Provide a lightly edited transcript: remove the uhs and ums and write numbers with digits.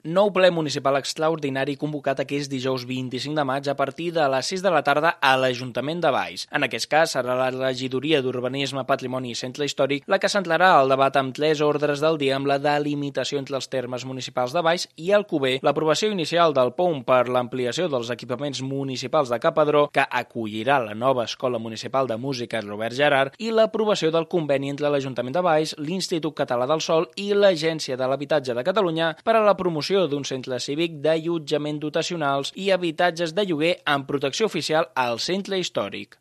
Nou ple municipal extraordinari convocat aquest dijous 25 de maig a partir de les 6 de la tarda a l'Ajuntament de Valls. En aquest cas serà la Regidoria d'Urbanisme, Patrimoni i Centre Històric la que centrarà el debat amb 3 ordres del dia amb la delimitació entre els termes municipals de Valls i Alcover, l'aprovació inicial del POUM per l'ampliació dels equipaments municipals de Capadró, que acollirà la nova Escola Municipal de Música Robert Gerard, i l'aprovació del conveni entre l'Ajuntament de Valls, l'Institut Català del Sòl i l'Agència de l'Habitatge de Catalunya per a la promoció d'un centre cívic d'allotjament dotacionals i habitatges de lloguer amb protecció oficial al centre històric.